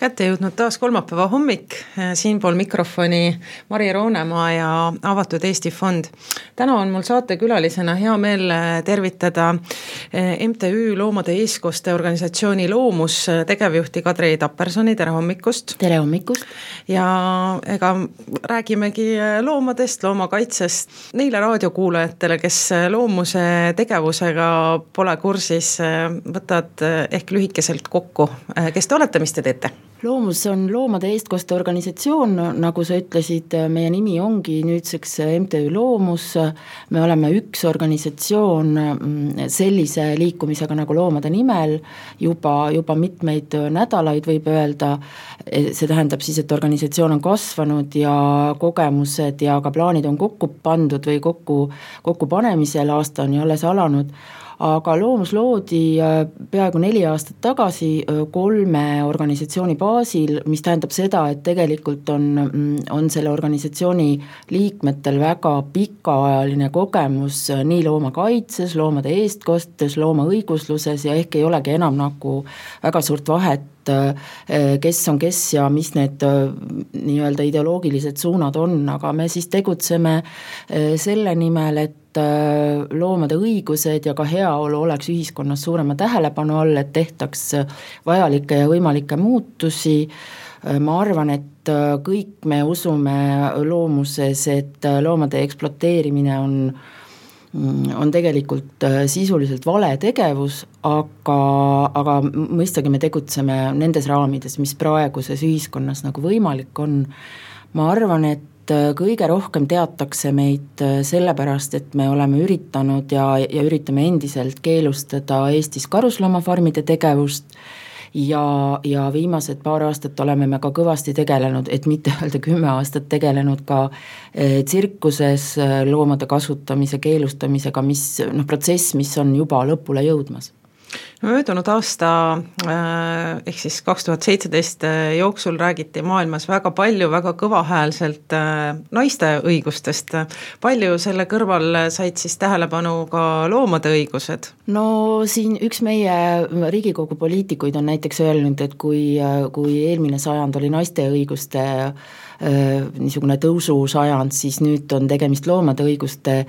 Kätte jõudnud taas kolmapäeva hommik, siinpool mikrofoni Mari Roonemaa ja Avatud Eesti Fond. Täna on mul saatekülalisena hea meel tervitada MTÜ Loomade Eestkoste organisatsiooni Loomus tegevjuhti Kadri Tappersoni, tere hommikust! Tere hommikust! Ja ega räägimegi loomadest, loomakaitsest. Neile raadiokuulajatele, kes loomuse tegevusega pole kursis, võtad ehk lühikeselt kokku. Kes te olete, mis te teete? Loomus on Loomade Eestkoste organisatsioon, nagu sa ütlesid, meie nimi ongi nüüdseks MTÜ Loomus. Me oleme üks organisatsioon sellise liikumisega nagu loomade nimel juba mitmeid nädalaid võib öelda. See tähendab siis, et organisatsioon on kasvanud ja kogemused ja ka plaanid on kokku pandud või kokku panemisel, aasta on ju alles alanud. Aga Loomus loodi peaaegu 4 aastat tagasi 3 organisatsiooni baasil, mis tähendab seda, et tegelikult on selle organisatsiooni liikmetel väga pikaajaline kogemus nii loomakaitses, loomade eestkostes, loomaõigusluses ja ehk ei olegi enam nagu väga suurt vahet, kes on kes ja mis need nii-öelda ideoloogilised suunad on, aga me siis tegutseme selle nimel, et loomade õigused ja ka heaolu oleks ühiskonnas suurema tähelepanu all, et tehtaks vajalikke ja võimalikke muutusi. Ma arvan, et kõik me usume loomuses, et loomade ekspluateerimine on tegelikult sisuliselt vale tegevus, aga mõistagi me tegutseme nendes raamides, mis praeguses ühiskonnas nagu võimalik on. Ma arvan, et kõige rohkem teatakse meid sellepärast, et me oleme üritanud ja üritame endiselt keelustada Eestis karusloomafarmide tegevust ja viimased paar aastat oleme me ka kõvasti tegelenud, et mitte öelda 10 aastat tegelenud ka tsirkuses loomade kasutamise keelustamisega, protsess, mis on juba lõpule jõudmas. Möödunud aasta ehk siis 2017 jooksul räägiti maailmas väga palju, väga kõvahäälselt naiste õigustest. Palju selle kõrval said siis tähelepanu ka loomade õigused? No siin üks meie Riigikogu poliitikuid on näiteks öelnud, et kui eelmine sajand oli naiste õiguste niisugune tõusu sajand, siis nüüd on tegemist loomade õiguste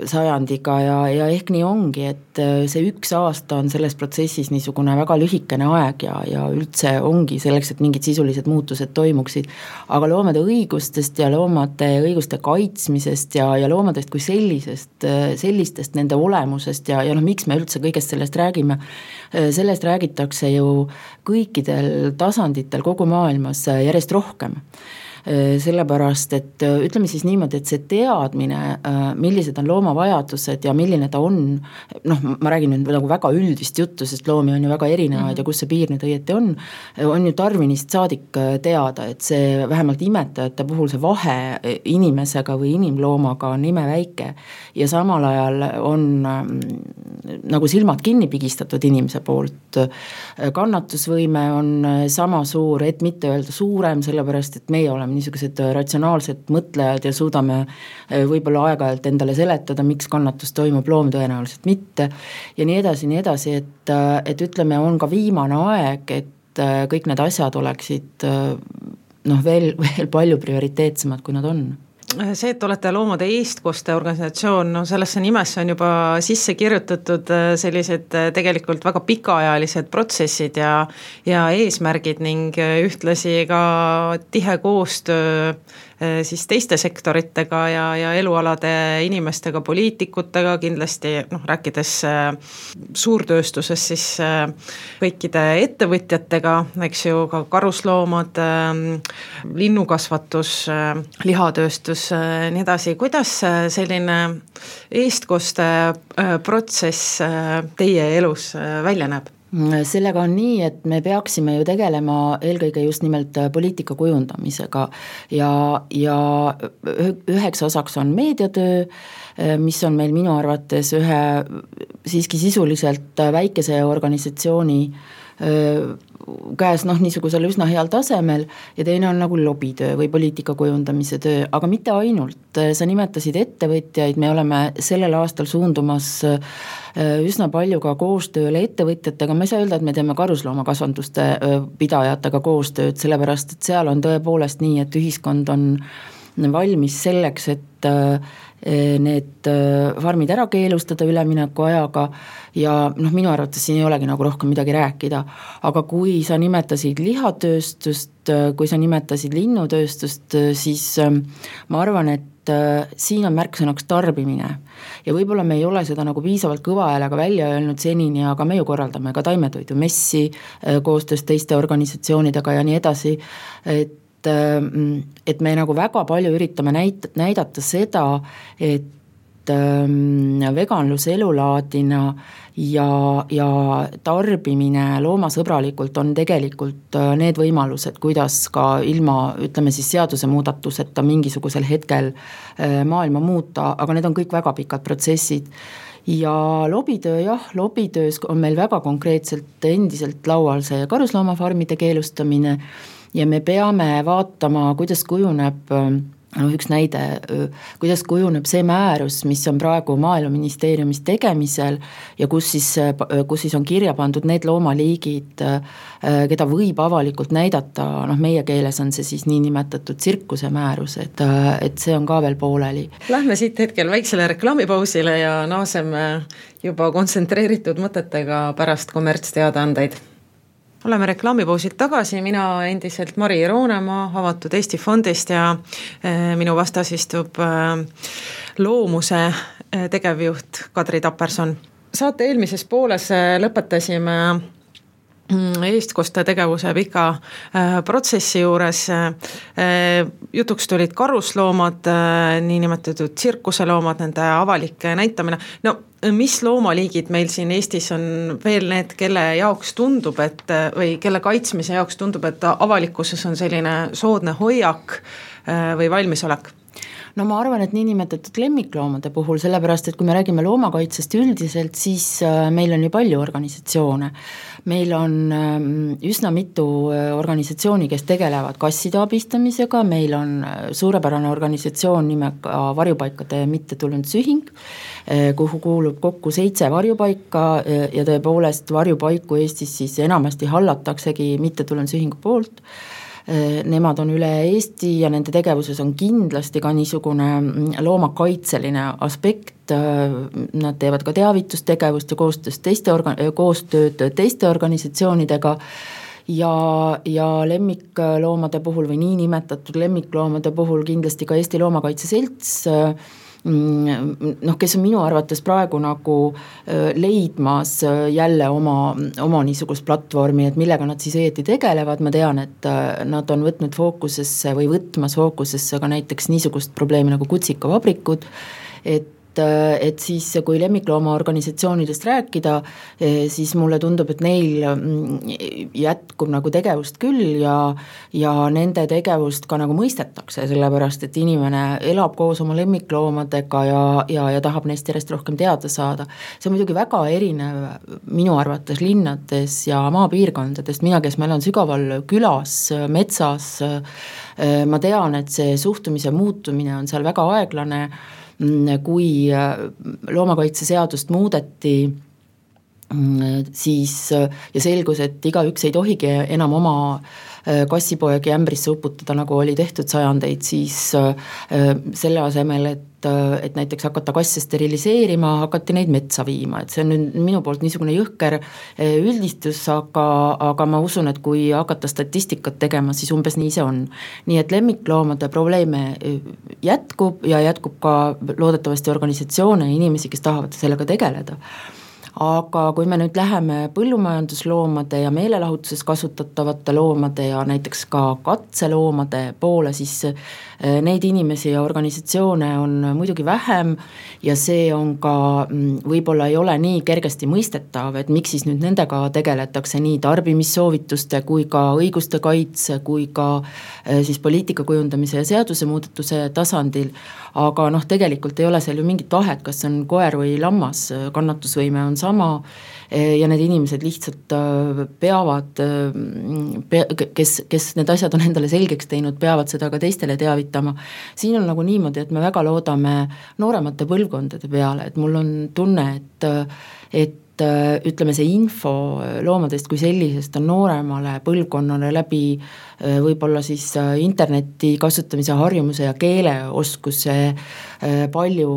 sajandiga ja ehk nii ongi, et see 1 aasta on selles protsessis niisugune väga lühikene aeg ja üldse ongi selleks, et mingid sisulised muutused toimuksid, aga loomade õigustest ja loomade õiguste kaitsmisest ja loomadest kui sellistest nende olemusest ja miks me üldse kõigest sellest räägime, sellest räägitakse ju kõikidel tasanditel kogu maailmas järjest rohkem. Sellepärast, et ütleme siis niimoodi, et see teadmine, millised on looma vajadused ja milline ta on, ma räägin nüüd nagu väga üldist juttu, sest loomi on ju väga erinevaid ja kus see piir nüüd õieti on ju Darwinist saadik teada, et see vähemalt imetajate puhul see vahe inimesega või inimloomaga on imeväike ja samal ajal on nagu silmad kinni pigistatud inimese poolt. Kannatusvõime on sama suur, et mitte öelda suurem, sellepärast, et meie oleme niisugused ratsionaalsed mõtlejad ja suudame võib-olla aeg-ajalt endale seletada, miks kannatus toimub, loom tõenäoliselt mitte ja nii edasi, et ütleme, on ka viimane aeg, et kõik need asjad oleksid veel palju prioriteetsemad, kui nad on. See, et olete Loomade Eestkoste organisatsioon, sellesse nimesse on juba sisse kirjutatud sellised tegelikult väga pikaajalised protsessid ja eesmärgid ning ühtlasi ka tihe koostöö siis teiste sektoritega ja elualade inimestega, poliitikutega, kindlasti rääkides suurtööstuses siis kõikide ettevõtjatega, eks ju, ka karusloomad, linnukasvatus, lihatööstus, nii edasi. Kuidas selline eestkoste protsess teie elus välja näeb? Sellega on nii, et me peaksime ju tegelema eelkõige just nimelt poliitika kujundamisega ja üheks osaks on meediatöö, mis on meil minu arvates ühe siiski sisuliselt väikese organisatsiooni käes niisugusel üsna heal tasemel ja teine on nagu lobitöö või poliitika kujundamise töö, aga mitte ainult, sa nimetasid ettevõtjaid, me oleme sellel aastal suundumas üsna palju ka koostööle ettevõtjatega, ma ei saa öelda, et me teeme karusloomakasvanduste pidajatega koostööd, sellepärast et seal on tõepoolest nii, et ühiskond on valmis selleks, et need farmid ära keelustada ülemineku ajaga ja minu arvates siin ei olegi nagu rohkem midagi rääkida, aga kui sa nimetasid lihatööstust, kui sa nimetasid linnutööstust, siis ma arvan, et siin on märksõnaks tarbimine ja võib-olla me ei ole seda nagu piisavalt kõva häälega välja öelnud senini, aga me ju korraldame ka taimetoidumessi koostöös teiste organisatsioonidega ja nii edasi, et me nagu väga palju üritame näidata seda, et veganlus elulaadina ja tarbimine loomasõbralikult on tegelikult need võimalused, kuidas ka ilma, ütleme siis seadusemuudatuseta mingisugusel hetkel maailma muuta, aga need on kõik väga pikad protsessid. Ja lobitöös on meil väga konkreetselt endiselt laual see karusloomafarmide keelustamine ja me peame vaatama, kuidas kujuneb, üks näide, kuidas kujuneb see määrus, mis on praegu Maaeluministeeriumis tegemisel ja kus siis on kirja pandud need loomaliigid, keda võib avalikult näidata, meie keeles on see siis niinimetatud tsirkuse määrus, et see on ka veel pooleli. Lähme siit hetkel väiksele reklaamipausile ja naaseme juba kontsentreeritud mõtetega pärast kommertsteadaandeid. Oleme reklaamipausilt tagasi, mina endiselt Mari Roonemaa Avatud Eesti Fondist ja minu vastas istub Loomuse tegevjuht Kadri Taperson. Saate eelmises pooles lõpetasime eestkoste tegevuse pika protsessi juures. Jutuks tulid karusloomad, niinimetatud tsirkuseloomad, nende avalik näitamine. Mis loomaliigid meil siin Eestis on veel need, kelle jaoks tundub, või kelle kaitsmise jaoks tundub, et avalikkuses on selline soodne hoiak või valmisolek? Ma arvan, et niinimetatud lemmikloomade puhul, sellepärast, et kui me räägime loomakaitsest üldiselt, siis meil on ju palju organisatsioone. Meil on üsna mitu organisatsiooni, kes tegelevad kasside abistamisega, meil on suurepärane organisatsioon nimega Varjupaikade mittetulundusühing, kuhu kuulub kokku 7 varjupaika ja tõepoolest varjupaiku Eestis siis enamasti hallataksegi mittetulundusühingu poolt. Nemad on üle Eesti ja nende tegevuses on kindlasti ka niisugune loomakaitseline aspekt, nad teevad ka teavitustegevust ja koostööd teiste organisatsioonidega ja lemmikloomade puhul või niinimetatud lemmikloomade puhul kindlasti ka Eesti Loomakaitse Selts, kes on minu arvates praegu nagu leidmas jälle oma niisugust platvormi, et millega nad siis õieti tegelevad, ma tean, et nad on võtnud fookusesse või võtmas fookusesse ka näiteks niisugust probleemi nagu kutsikavabrikud, et siis kui lemmikloomaorganisatsioonidest rääkida, siis mulle tundub, et neil jätkub nagu tegevust küll ja nende tegevust ka nagu mõistetakse, sellepärast et inimene elab koos oma lemmikloomadega ja tahab neist järjest rohkem teada saada. See on muidugi väga erinev minu arvates linnades ja maapiirkondadest, mina, kes ma elan sügaval külas, metsas, ma tean, et see suhtumise muutumine on seal väga aeglane, kui loomakaitseseadust muudeti, siis ja selgus, et igaüks ei tohigi enam oma kassipoegi ämbrisse uputada, nagu oli tehtud sajandeid, siis selle asemel, et näiteks hakata kasse steriliseerima, hakati neid metsa viima, et see on nüüd minu poolt niisugune jõhker üldistus, aga ma usun, et kui hakata statistikat tegema, siis umbes nii see on. Nii et lemmikloomade probleeme jätkub ja jätkub ka loodetavasti organisatsioone ja inimesi, kes tahavad sellega tegeleda. Aga kui me nüüd läheme põllumajandusloomade ja meelelahutuses kasutatavate loomade ja näiteks ka katseloomade poole, siis neid inimesi ja organisatsioone on muidugi vähem ja see on ka võib-olla ei ole nii kergesti mõistetav, et miks siis nüüd nendega tegeletakse nii tarbimissoovituste kui ka õiguste kaitse kui ka siis poliitika kujundamise ja seadusemuudatuse tasandil, aga tegelikult ei ole seal ju mingit vahet, kas on koer või lammas, kannatusvõime on sama ja need inimesed lihtsalt peavad, kes need asjad on endale selgeks teinud, peavad seda ka teistele teavitama. Siin on nagu niimoodi, et me väga loodame nooremate põlvkondade peale, et mul on tunne, et ütleme, see info loomadest kui sellisest on nooremale põlvkonnale läbi võib-olla siis interneti kasutamise harjumuse ja keeleoskuse palju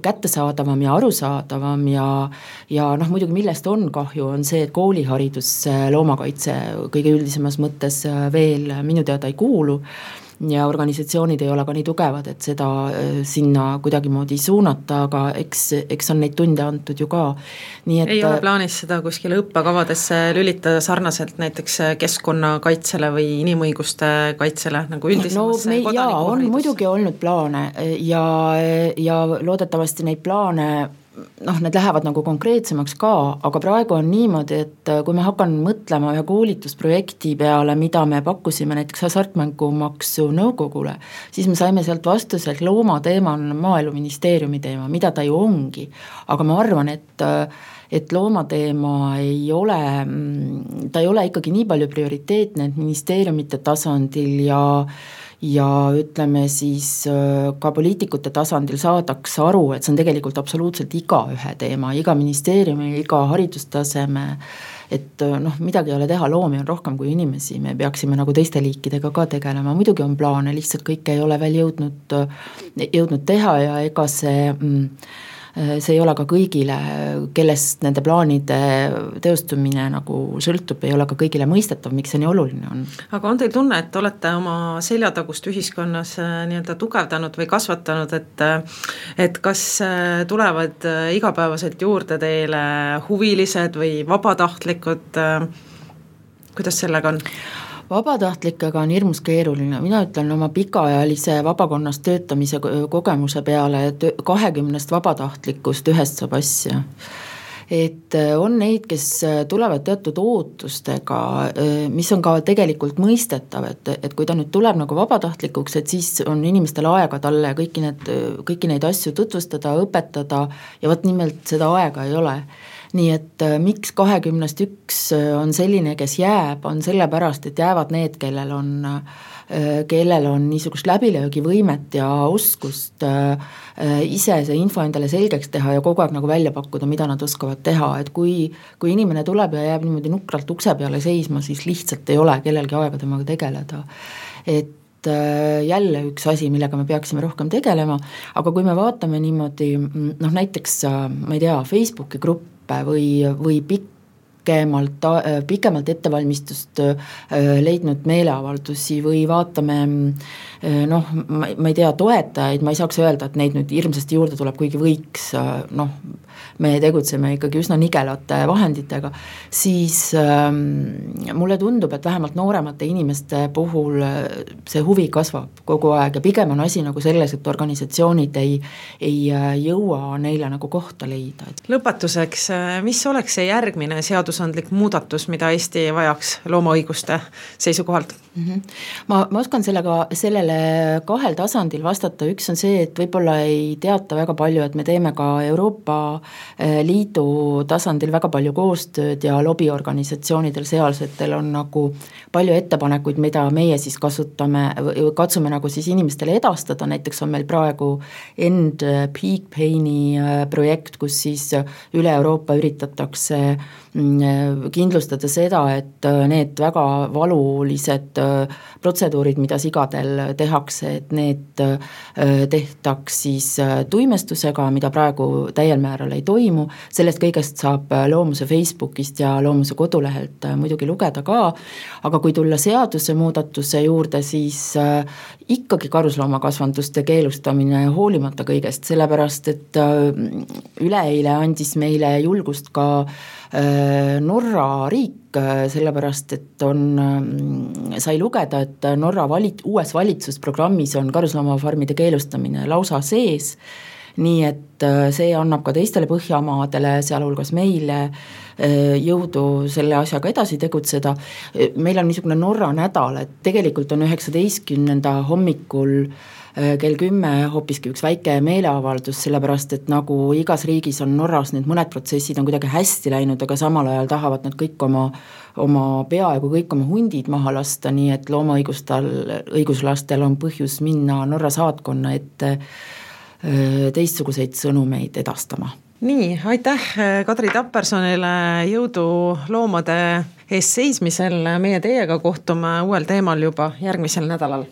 kättesaadavam ja arusaadavam ja noh, muidugi millest on kahju, on see, et kooliharidus loomakaitse kõige üldisemas mõttes veel minu teada ei kuulu ja organisatsioonid ei ole ka nii tugevad, et seda sinna kuidagimoodi suunata, aga eks on neid tunde antud ju ka. Nii et ei ole plaanis seda kuskile õppekavadesse lülitada sarnaselt näiteks keskkonnakaitsele või inimõiguste kaitsele nagu üldisemassa kodanikuharidus? On muidugi olnud plaane ja loodetavasti neid plaane need lähevad nagu konkreetsemaks ka, aga praegu on niimoodi, et kui me hakkan mõtlema ühe koolitusprojekti peale, mida me pakkusime näiteks hasartmängumaksu nõukogule, siis me saime sealt vastuse, et loomateema on Maaeluministeeriumi teema, mida ta ju ongi, aga ma arvan, et loomateema ei ole ikkagi nii palju prioriteetne, et ministeeriumite tasandil ja ütleme siis ka poliitikute tasandil saadaks aru, et see on tegelikult absoluutselt igaühe teema, iga ministeeriumi, iga haridustaseme, et midagi ei ole teha, loomi on rohkem kui inimesi, me peaksime nagu teiste liikidega ka tegelema, muidugi on plaane, lihtsalt kõike ei ole veel jõudnud teha ja ega see ei ole ka kõigile, kellest nende plaanide teostumine nagu sõltub, ei ole ka kõigile mõistetav, miks see nii oluline on. Aga on teil tunne, et olete oma seljatagust ühiskonnas nii-öelda tugevdanud või kasvatanud, et kas tulevad igapäevaselt juurde teile huvilised või vabatahtlikud, kuidas sellega on? Vabatahtlikega on hirmus keeruline, mina ütlen oma pikaajalise vabakonnas töötamise kogemuse peale, et 20 vabatahtlikust ühest saab asja. Et on neid, kes tulevad teatud ootustega, mis on ka tegelikult mõistetav, et kui ta nüüd tuleb nagu vabatahtlikuks, et siis on inimestel aega talle kõiki neid asju tutvustada, õpetada ja vot nimelt seda aega ei ole. Nii et miks 21 on selline, kes jääb, on sellepärast, et jäävad need, kellel on niisugust läbilöögivõimet ja oskust ise see info endale selgeks teha ja kogu aeg nagu välja pakkuda, mida nad oskavad teha, et kui inimene tuleb ja jääb niimoodi nukralt ukse peale seisma, siis lihtsalt ei ole kellelgi aega temaga tegeleda. Et jälle üks asi, millega me peaksime rohkem tegelema, aga kui me vaatame niimoodi, näiteks, ma ei tea, Facebooki grupp või pikemalt ettevalmistust leidnud meeleavaldusi või vaatame, ma ei tea, toetajaid, ma ei saaks öelda, et neid nüüd hirmsasti juurde tuleb, kuigi võiks, me tegutseme ikkagi üsna nigelate vahenditega, siis mulle tundub, et vähemalt nooremate inimeste puhul see huvi kasvab kogu aeg ja pigem on asi nagu selles, et organisatsioonid ei jõua neile nagu kohta leida. Lõpetuseks, mis oleks see järgmine seadusandlik muudatus, mida Eesti vajaks loomaõiguste seisukohalt? Ma oskan sellele 2 tasandil vastata, üks on see, et võib-olla ei teata väga palju, et me teeme ka Euroopa Liidu tasandil väga palju koostööd ja lobiorganisatsioonidel sealsetel on nagu palju ettepanekuid, mida meie siis katsume nagu siis inimestele edastada, näiteks on meil praegu End Peak Paini projekt, kus siis üle Euroopa üritatakse kindlustada seda, et need väga valulised protseduurid, mida sigadel tehakse, et need tehtaks siis tuimestusega, mida praegu täiel määral ei toimu, sellest kõigest saab Loomuse Facebookist ja Loomuse kodulehelt muidugi lugeda ka, aga kui tulla seaduse muudatuse juurde, siis ikkagi karusloomakasvanduste keelustamine hoolimata kõigest, sellepärast et üleeile andis meile julgust ka Norra riik, sellepärast, et sai lugeda, et Norra uues valitsusprogrammis on karusloomafarmide keelustamine lausa sees nii et see annab ka teistele Põhjamaadele, sealhulgas meile, jõudu selle asjaga edasi tegutseda. Meil on niisugune Norra nädal, et tegelikult on 19. hommikul kell 10 hoopiski üks väike meeleavaldus, sellepärast et nagu igas riigis on Norras need mõned protsessid on kuidagi hästi läinud, aga samal ajal tahavad nad kõik oma peaaegu kõik oma hundid maha lasta, nii et loomaõiguslastel on põhjus minna Norra saatkonna ette teistsuguseid sõnumeid edastama. Nii, aitäh Kadri Tappersonile, jõudu loomade eest seismisel, meie teiega kohtume uuel teemal juba järgmisel nädalal.